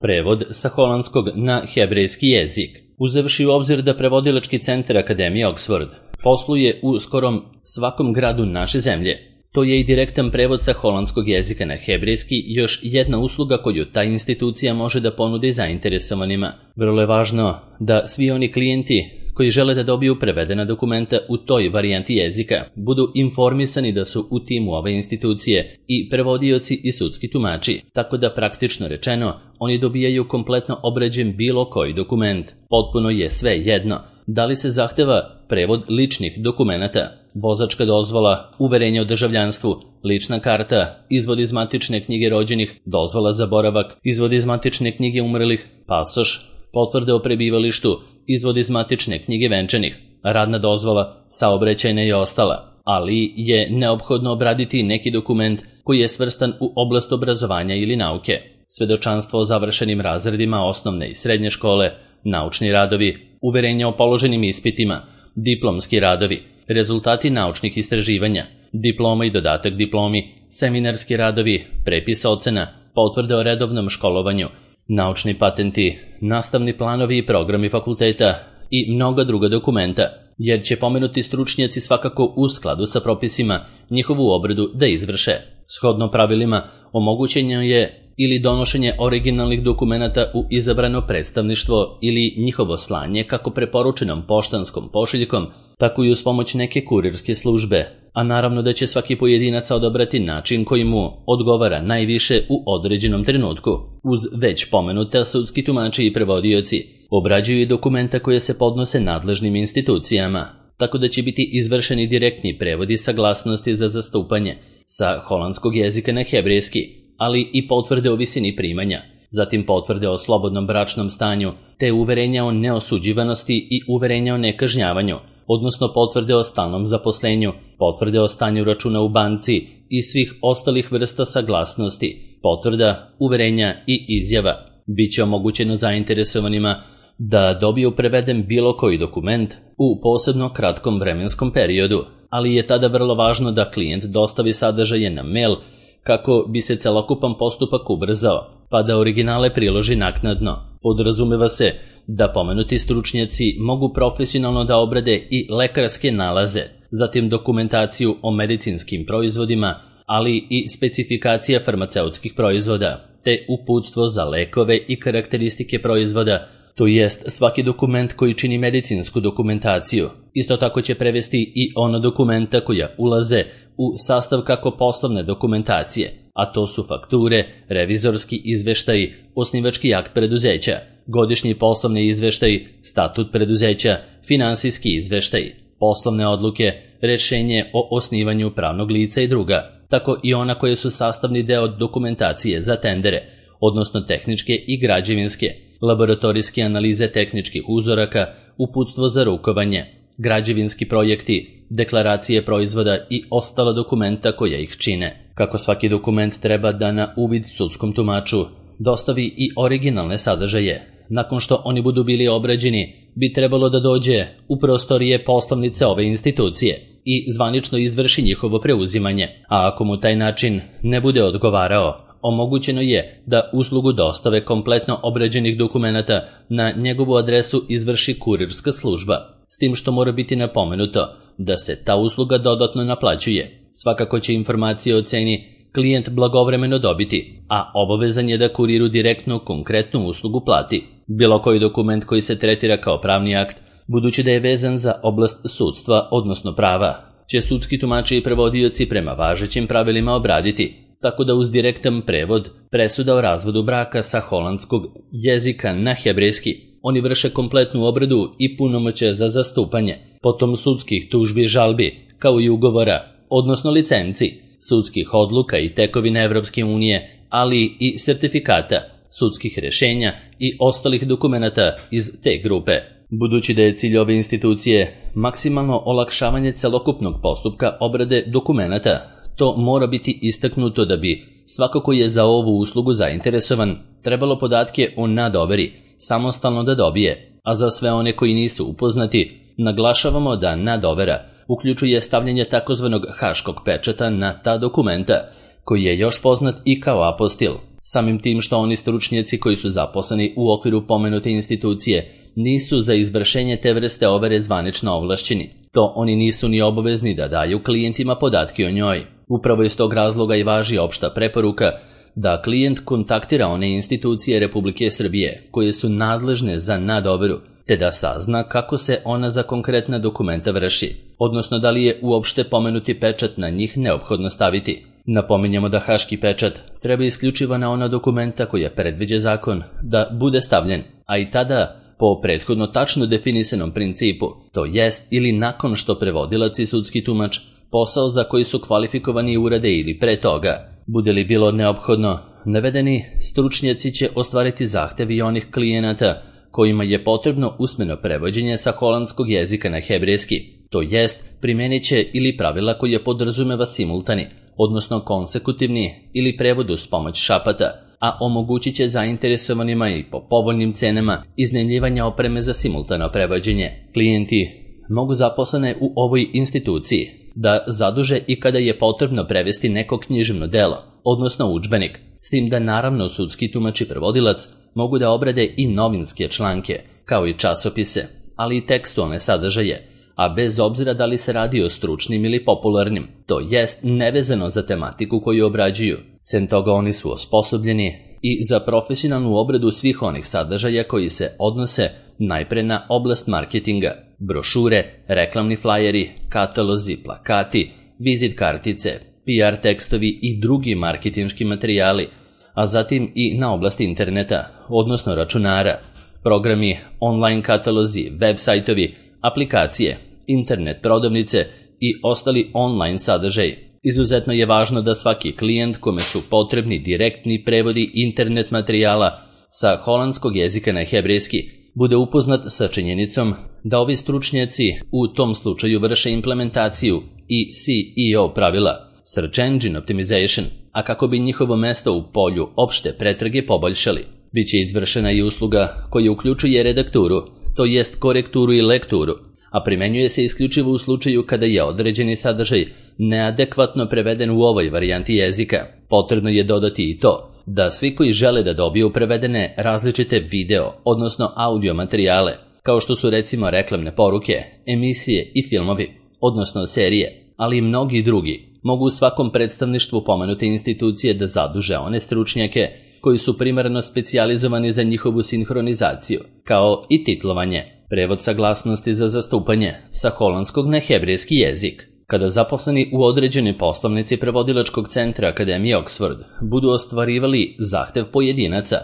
Prevod sa holandskog na hebrejski jezik. Uzevši u obzir da prevodilački centar Akademije Oxford posluje u skorom svakom gradu naše zemlje, to je i direktan prevod sa holandskog jezika na hebrejski još jedna usluga koju ta institucija može da ponudi zainteresovanima. Vrlo je važno da svi oni klijenti koji žele da dobiju prevedena dokumenta u toj varijanti jezika budu informisani da su u timu ove institucije i prevodioci i sudski tumači, tako da praktično rečeno oni dobijaju kompletno obrađen bilo koji dokument. Potpuno je sve jedno da li se zahteva prevod ličnih dokumenata, vozačka dozvola, uverenje o državljanstvu, lična karta, izvod iz matične knjige rođenih, dozvola za boravak, izvod iz matične knjige umrlih, pasoš, potvrde o prebivalištu, izvod iz matične knjige venčanih, radna dozvola, saobraćajna i ostala, ali je neophodno obraditi neki dokument koji je svrstan u oblast obrazovanja ili nauke, svedočanstvo o završenim razredima osnovne i srednje škole, naučni radovi, uverenja o položenim ispitima, diplomski radovi, rezultati naučnih istraživanja, diploma i dodatak diplomi, seminarski radovi, prepis ocena, potvrde o redovnom školovanju, naučni patenti, nastavni planovi i programi fakulteta i mnoga druga dokumenta, jer će pomenuti stručnjaci svakako u skladu sa propisima njihovu obradu da izvrše. Shodno pravilima, omogućeno je ili donošenje originalnih dokumenata u izabrano predstavništvo ili njihovo slanje kako preporučenom poštanskom pošiljkom, tako i uz pomoć neke kurirske službe, a naravno da će svaki pojedinac odabrati način koji mu odgovara najviše u određenom trenutku. Uz već pomenuta sudski tumači i prevodioci obrađuju i dokumenta koje se podnose nadležnim institucijama, tako da će biti izvršeni direktni prevodi saglasnosti za zastupanje sa holandskog jezika na hebrejski, ali i potvrde o visini primanja, zatim potvrde o slobodnom bračnom stanju, te uverenja o neosuđivanosti i uverenja o nekažnjavanju, odnosno potvrde o stalnom zaposlenju, potvrde o stanju računa u banci i svih ostalih vrsta saglasnosti, potvrda, uverenja i izjava. Biće omogućeno zainteresovanima da dobiju preveden bilo koji dokument u posebno kratkom vremenskom periodu, ali je tada vrlo važno da klijent dostavi sadržaje na mail kako bi se celokupan postupak ubrzao, pa da originale priloži naknadno. Podrazumeva se da pomenuti stručnjaci mogu profesionalno da obrade i lekarske nalaze, zatim dokumentaciju o medicinskim proizvodima, ali i specifikacija farmaceutskih proizvoda, te uputstvo za lekove i karakteristike proizvoda, to jest svaki dokument koji čini medicinsku dokumentaciju. Isto tako će prevesti i ono dokumenta koja ulaze u sastav kako poslovne dokumentacije, a to su fakture, revizorski izveštaji, osnivački akt preduzeća, godišnji poslovni izveštaj, statut preduzeća, finansijski izveštaj, poslovne odluke, rešenje o osnivanju pravnog lica i druga, tako i ona koje su sastavni deo dokumentacije za tendere, odnosno tehničke i građevinske, laboratorijske analize tehničkih uzoraka, uputstvo za rukovanje, građevinski projekti, deklaracije proizvoda i ostala dokumenta koja ih čine. Kako svaki dokument treba da na uvid sudskom tumaču dostavi i originalne sadržaje, nakon što oni budu bili obrađeni, bi trebalo da dođe u prostorije poslovnice ove institucije i zvanično izvrši njihovo preuzimanje, a ako mu taj način ne bude odgovarao, omogućeno je da uslugu dostave kompletno obrađenih dokumenata na njegovu adresu izvrši kurirska služba, s tim što mora biti napomenuto da se ta usluga dodatno naplaćuje. Svakako će informacije o ceni klijent blagovremeno dobiti, a obavezan je da kuriru direktno konkretnu uslugu plati. Bilo koji dokument koji se tretira kao pravni akt, budući da je vezan za oblast sudstva, odnosno prava, će sudski tumači i prevodioci prema važećim pravilima obraditi, tako da uz direktan prevod presuda o razvodu braka sa holandskog jezika na hebrejski oni vrše kompletnu obradu i punomoćje za zastupanje, potom sudskih tužbi i žalbi, kao i ugovora, odnosno licenci, sudskih odluka i tekovina Evropske unije, ali i sertifikata, sudskih rešenja i ostalih dokumenata iz te grupe. Budući da je cilj ove institucije maksimalno olakšavanje celokupnog postupka obrade dokumenata, to mora biti istaknuto da bi svako ko je za ovu uslugu zainteresovan trebalo podatke o nadoveri samostalno da dobije, a za sve one koji nisu upoznati, naglašavamo da nadovera uključuje stavljanje takozvanog haškog pečata na ta dokumenta, koji je još poznat i kao apostil. Samim tim što oni stručnjaci koji su zaposleni u okviru pomenute institucije nisu za izvršenje te vrste overe zvanično ovlašćeni. To oni nisu ni obavezni da daju klijentima podatke o njoj. Upravo iz tog razloga i važi opšta preporuka da klijent kontaktira one institucije Republike Srbije koje su nadležne za nadoveru, te da sazna kako se ona za konkretna dokumenta vrši, odnosno da li je uopšte pomenuti pečat na njih neophodno staviti. Napominjemo da haški pečat treba isključivo na ona dokumenta koja predviđa zakon da bude stavljen, a i tada po prethodno tačno definisanom principu, to jest ili nakon što prevodilac i sudski tumač posao za koji su kvalifikovani urade ili pre toga. Bude li bilo neophodno, navedeni stručnjaci će ostvariti zahtev i onih klijenata kojima je potrebno usmeno prevođenje sa holandskog jezika na hebrejski, to jest primenit će ili pravila koje podrazumeva simultani, odnosno konsekutivni ili prevod uz pomoć šapata, a omogućit će zainteresovanima i po povoljnim cenama iznajmljivanja opreme za simultano prevođenje. Klijenti mogu zaposlene u ovoj instituciji da zaduže i kada je potrebno prevesti neko književno delo, odnosno udžbenik, s tim da naravno sudski tumač i prevodilac mogu da obrade i novinske članke, kao i časopise, ali i tekstualne sadržaje, a bez obzira da li se radi o stručnim ili popularnim, to jest nevezano za tematiku koju obrađuju. Sem toga oni su osposobljeni i za profesionalnu obradu svih onih sadržaja koji se odnose najpre na oblast marketinga, brošure, reklamni flajeri, katalozi, plakati, vizit kartice, PR tekstovi i drugi marketinški materijali, a zatim i na oblast interneta, odnosno računara, programi, online katalozi, web sajtovi, aplikacije, internet prodavnice i ostali online sadržaj. Izuzetno je važno da svaki klijent kome su potrebni direktni prevodi internet materijala sa holandskog jezika na hebrejski bude upoznat sa činjenicom da ovi stručnjaci u tom slučaju vrše implementaciju i SEO pravila, Search Engine Optimization, a kako bi njihovo mesto u polju opšte pretrage poboljšali. Biće izvršena i usluga koja uključuje redakturu, to jest korekturu i lekturu, a primenjuje se isključivo u slučaju kada je određeni sadržaj neadekvatno preveden u ovoj varijanti jezika. Potrebno je dodati i to da svi koji žele da dobiju prevedene različite video, odnosno audio materijale, kao što su recimo reklamne poruke, emisije i filmovi, odnosno serije, ali i mnogi drugi, mogu u svakom predstavništvu pomenute institucije da zaduže one stručnjake koji su primarno specijalizovani za njihovu sinhronizaciju, kao i titlovanje, prevod saglasnosti za zastupanje sa holandskog na hebrejski jezik. Kada zaposleni u određenoj poslovnici prevodilačkog centra Akademije Oxford budu ostvarivali zahtev pojedinaca,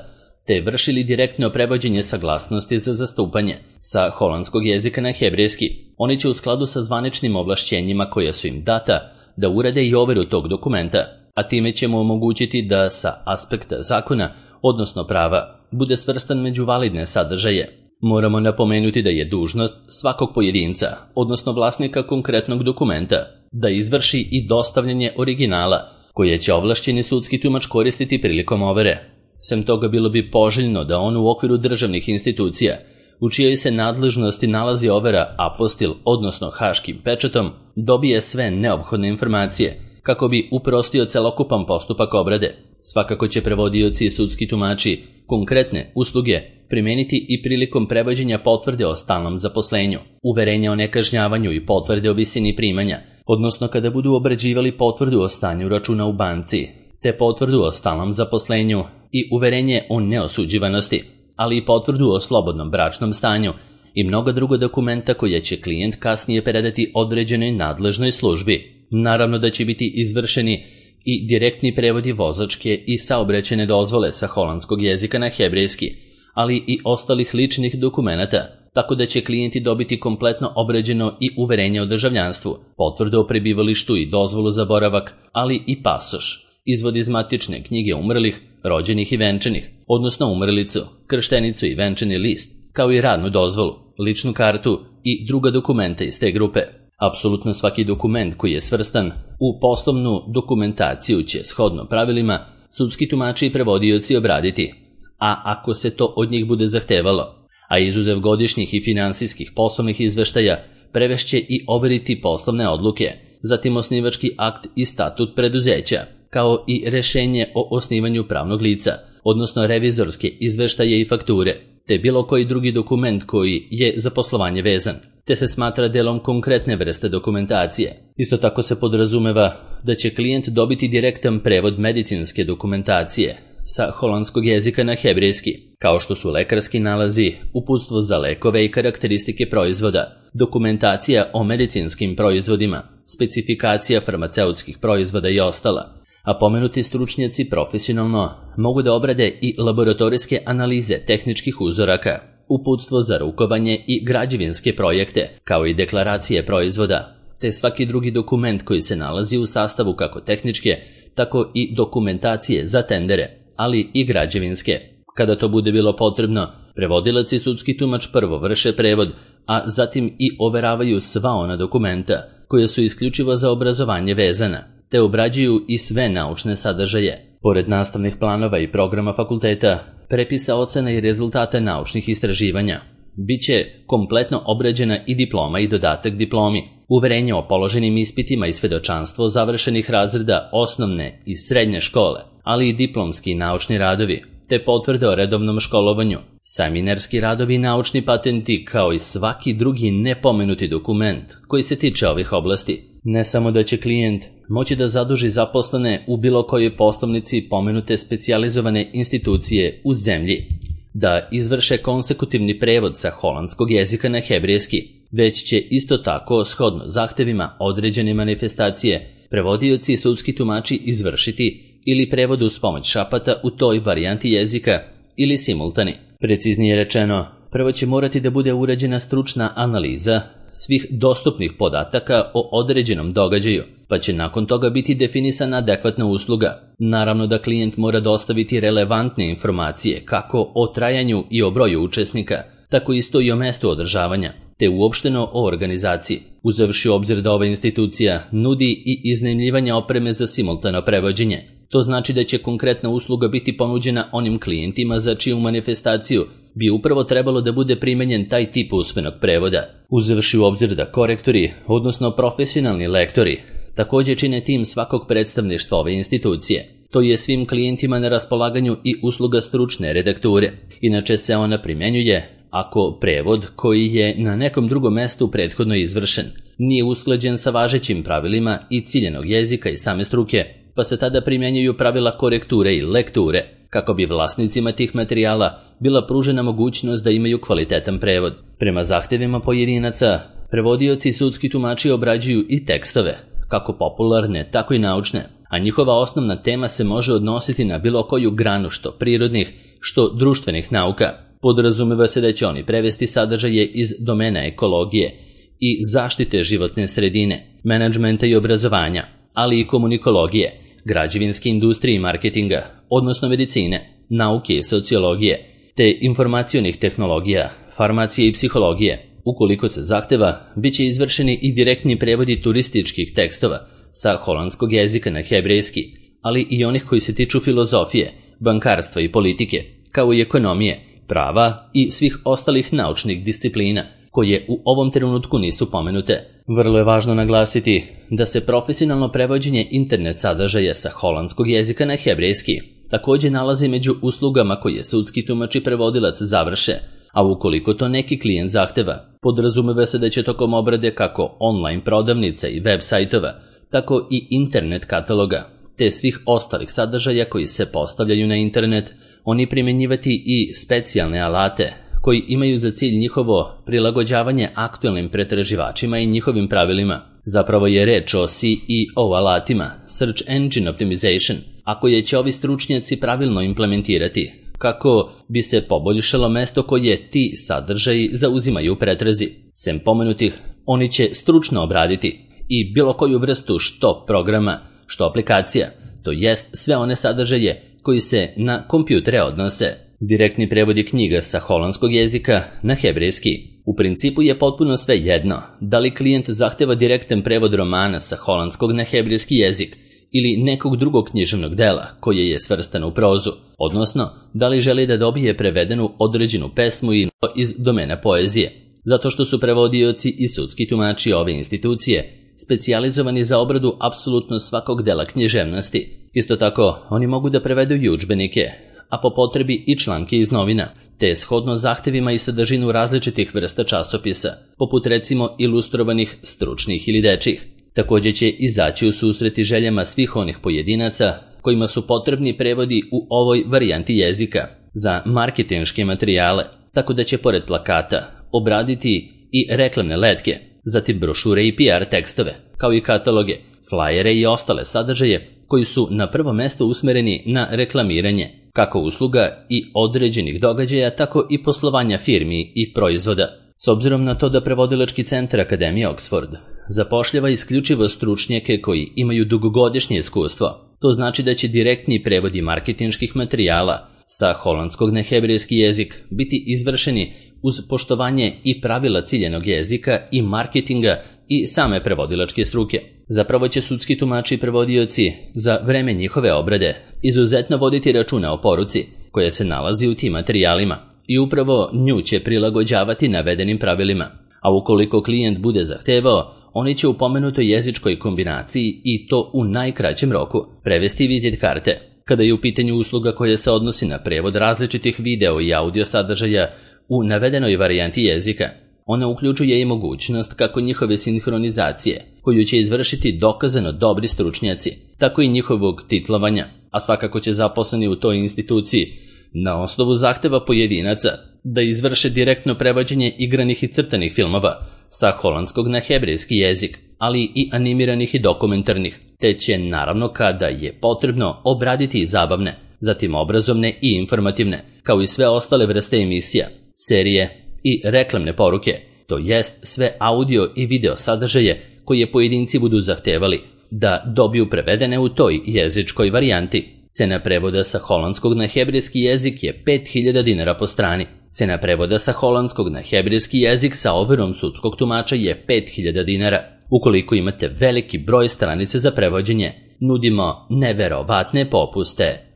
te vršili direktno prevođenje saglasnosti za zastupanje sa holandskog jezika na hebrejski, oni će u skladu sa zvaničnim ovlašćenjima koja su im data da urade i overu tog dokumenta, a time ćemo omogućiti da sa aspekta zakona, odnosno prava, bude svrstan među validne sadržaje. Moramo napomenuti da je dužnost svakog pojedinca, odnosno vlasnika konkretnog dokumenta, da izvrši i dostavljanje originala, koje će ovlašćeni sudski tumač koristiti prilikom overe. Sem toga bilo bi poželjno da on u okviru državnih institucija, u čijoj se nadležnosti nalazi overa apostil, odnosno haškim pečatom, dobije sve neophodne informacije, kako bi uprostio celokupan postupak obrade. Svakako će prevodioci i sudski tumači konkretne usluge primeniti i prilikom prevođenja potvrde o stalnom zaposlenju, uverenja o nekažnjavanju i potvrde o visini primanja, odnosno kada budu obrađivali potvrdu o stanju računa u banci, te potvrdu o stalnom zaposlenju i uverenje o neosuđivanosti, ali i potvrdu o slobodnom bračnom stanju i mnoga druga dokumenta koja će klijent kasnije predati određenoj nadležnoj službi. Naravno da će biti izvršeni i direktni prevodi vozačke i saobraćajne dozvole sa holandskog jezika na hebrejski, ali i ostalih ličnih dokumenata, tako da će klijenti dobiti kompletno obrađeno i uverenje o državljanstvu, potvrdu o prebivalištu i dozvolu za boravak, ali i pasoš, izvod iz matične knjige umrlih, rođenih i venčanih, odnosno umrlicu, krštenicu i venčani list, kao i radnu dozvolu, ličnu kartu i druga dokumenta iz te grupe. Apsolutno svaki dokument koji je svrstan u poslovnu dokumentaciju će shodno pravilima sudski tumači i prevodioci obraditi, a ako se to od njih bude zahtevalo, a izuzev godišnjih i finansijskih poslovnih izveštaja, prevešće i overiti poslovne odluke, zatim osnivački akt i statut preduzeća, kao i rešenje o osnivanju pravnog lica, odnosno revizorske izveštaje i fakture, te bilo koji drugi dokument koji je za poslovanje vezan, te se smatra delom konkretne vrste dokumentacije. Isto tako se podrazumeva da će klijent dobiti direktan prevod medicinske dokumentacije sa holandskog jezika na hebrejski, kao što su lekarski nalazi, uputstvo za lekove i karakteristike proizvoda, dokumentacija o medicinskim proizvodima, specifikacija farmaceutskih proizvoda i ostala. A pomenuti stručnjaci profesionalno mogu da obrade i laboratorijske analize tehničkih uzoraka, uputstvo za rukovanje i građevinske projekte, kao i deklaracije proizvoda, te svaki drugi dokument koji se nalazi u sastavu kako tehničke, tako i dokumentacije za tendere, ali i građevinske. Kada to bude bilo potrebno, prevodilac i sudski tumač prvo vrše prevod, a zatim i overavaju sva ona dokumenta koje su isključivo za obrazovanje vezana, te obrađuju i sve naučne sadržaje. Pored nastavnih planova i programa fakulteta, prepisa ocena i rezultata naučnih istraživanja, biće kompletno obrađena i diploma i dodatak diplomi, uverenje o položenim ispitima i svedočanstvo završenih razreda osnovne i srednje škole, ali i diplomski i naučni radovi, te potvrde o redovnom školovanju, seminarski radovi i naučni patenti, kao i svaki drugi nepomenuti dokument koji se tiče ovih oblasti. Ne samo da će klijent moći da zaduži zaposlene u bilo kojoj poslovnici pomenute specijalizovane institucije u zemlji, da izvrše konsekutivni prevod sa holandskog jezika na hebrejski, već će isto tako, shodno zahtevima određene manifestacije, prevodioci i sudski tumači izvršiti ili prevod uz pomoć šapata u toj varijanti jezika ili simultani. Preciznije rečeno, prvo će morati da bude urađena stručna analiza svih dostupnih podataka o određenom događaju, pa će nakon toga biti definisana adekvatna usluga. Naravno da klijent mora dostaviti relevantne informacije kako o trajanju i o broju učesnika, tako isto i o mestu održavanja, te uopšteno o organizaciji, uzevši u obzir da ova institucija nudi i iznajmljivanje opreme za simultano prevođenje. To znači da će konkretna usluga biti ponuđena onim klijentima za čiju manifestaciju bi upravo trebalo da bude primenjen taj tip usmenog prevoda. Uzevši u obzir da korektori, odnosno profesionalni lektori, također čine tim svakog predstavništva ove institucije. To je svim klijentima na raspolaganju i usluga stručne redakture. Inače se ona primenjuje ako prevod koji je na nekom drugom mestu prethodno izvršen nije usklađen sa važećim pravilima i ciljenog jezika i same struke, pa se tada primjenjuju pravila korekture i lekture, kako bi vlasnicima tih materijala bila pružena mogućnost da imaju kvalitetan prevod. Prema zahtevima pojedinaca, prevodioci i sudski tumači obrađuju i tekstove, kako popularne, tako i naučne, a njihova osnovna tema se može odnositi na bilo koju granu što prirodnih, što društvenih nauka. Podrazumeva se da će oni prevesti sadržaje iz domena ekologije i zaštite životne sredine, menadžmenta i obrazovanja, ali i komunikologije, građevinske industrije i marketinga, odnosno medicine, nauke i sociologije, te informacionih tehnologija, farmacije i psihologije. Ukoliko se zahteva, bit će izvršeni i direktni prevodi turističkih tekstova sa holandskog jezika na hebrejski, ali i onih koji se tiču filozofije, bankarstva i politike, kao i ekonomije, prava i svih ostalih naučnih disciplina, koje u ovom trenutku nisu pomenute. Vrlo je važno naglasiti da se profesionalno prevođenje internet sadržaja sa holandskog jezika na hebrejski također nalazi među uslugama koje sudski tumač i prevodilac završe, a ukoliko to neki klijent zahteva, podrazumeva se da će tokom obrade kako online prodavnica i web sajtova, tako i internet kataloga, te svih ostalih sadržaja koji se postavljaju na internet, oni primjenjivati i specijalne alate koji imaju za cilj njihovo prilagođavanje aktualnim pretraživačima i njihovim pravilima. Zapravo je reč o SEO alatima, Search Engine Optimization, a koje će ovi stručnjaci pravilno implementirati, kako bi se poboljšalo mesto koje ti sadržaji zauzimaju u pretrazi. Sem pomenutih, oni će stručno obraditi i bilo koju vrstu što programa, što aplikacija, to jest sve one sadržaje koji se na kompjutere odnose. Direktni prevod je knjiga sa holandskog jezika na hebrejski. U principu je potpuno sve jedno da li klijent zahteva direktan prevod romana sa holandskog na hebrejski jezik ili nekog drugog književnog dela koje je svrstano u prozu, odnosno da li želi da dobije prevedenu određenu pesmu iz domena poezije. Zato što su prevodioci i sudski tumači ove institucije specijalizovani za obradu apsolutno svakog dela književnosti. Isto tako, oni mogu da prevedu i udžbenike, a po potrebi i članke iz novina, te shodno zahtevima i sadržinu različitih vrsta časopisa, poput recimo ilustrovanih, stručnih ili dečjih. Također će izaći u susret i željama svih onih pojedinaca kojima su potrebni prevodi u ovoj varijanti jezika za marketinške materijale, tako da će pored plakata obraditi i reklamne letke, zatim brošure i PR tekstove, kao i kataloge, flajere i ostale sadržaje koji su na prvo mesto usmereni na reklamiranje, kako usluga i određenih događaja, tako i poslovanja firmi i proizvoda. S obzirom na to da prevodilački centar Akademije Oxford zapošljava isključivo stručnjake koji imaju dugogodišnje iskustvo, to znači da će direktni prevodi marketinških materijala sa holandskog na hebrejski jezik biti izvršeni uz poštovanje i pravila ciljanog jezika i marketinga i same prevodilačke struke. Zapravo će sudski tumači i prevodioci za vreme njihove obrade izuzetno voditi računa o poruci koja se nalazi u tim materijalima i upravo nju će prilagođavati navedenim pravilima. A ukoliko klijent bude zahtevao, oni će u pomenutoj jezičkoj kombinaciji i to u najkraćem roku prevesti vizit karte. Kada je u pitanju usluga koja se odnosi na prevod različitih video i audio sadržaja u navedenoj varijanti jezika, ona uključuje i mogućnost kako njihove sinhronizacije, koju će izvršiti dokazano dobri stručnjaci, tako i njihovog titlovanja, a svakako će zaposleni u toj instituciji na osnovu zahteva pojedinaca da izvrše direktno prevođenje igranih i crtanih filmova sa holandskog na hebrejski jezik, ali i animiranih i dokumentarnih, te će naravno kada je potrebno obraditi i zabavne, zatim obrazovne i informativne, kao i sve ostale vrste emisija, serije i reklamne poruke, to jest sve audio i video sadržaje koje pojedinci budu zahtevali da dobiju prevedene u toj jezičkoj varijanti. Cena prevoda sa holandskog na hebrejski jezik je 5000 dinara po strani. Cena prevoda sa holandskog na hebrejski jezik sa overom sudskog tumača je 5000 dinara. Ukoliko imate veliki broj stranice za prevođenje, nudimo neverovatne popuste.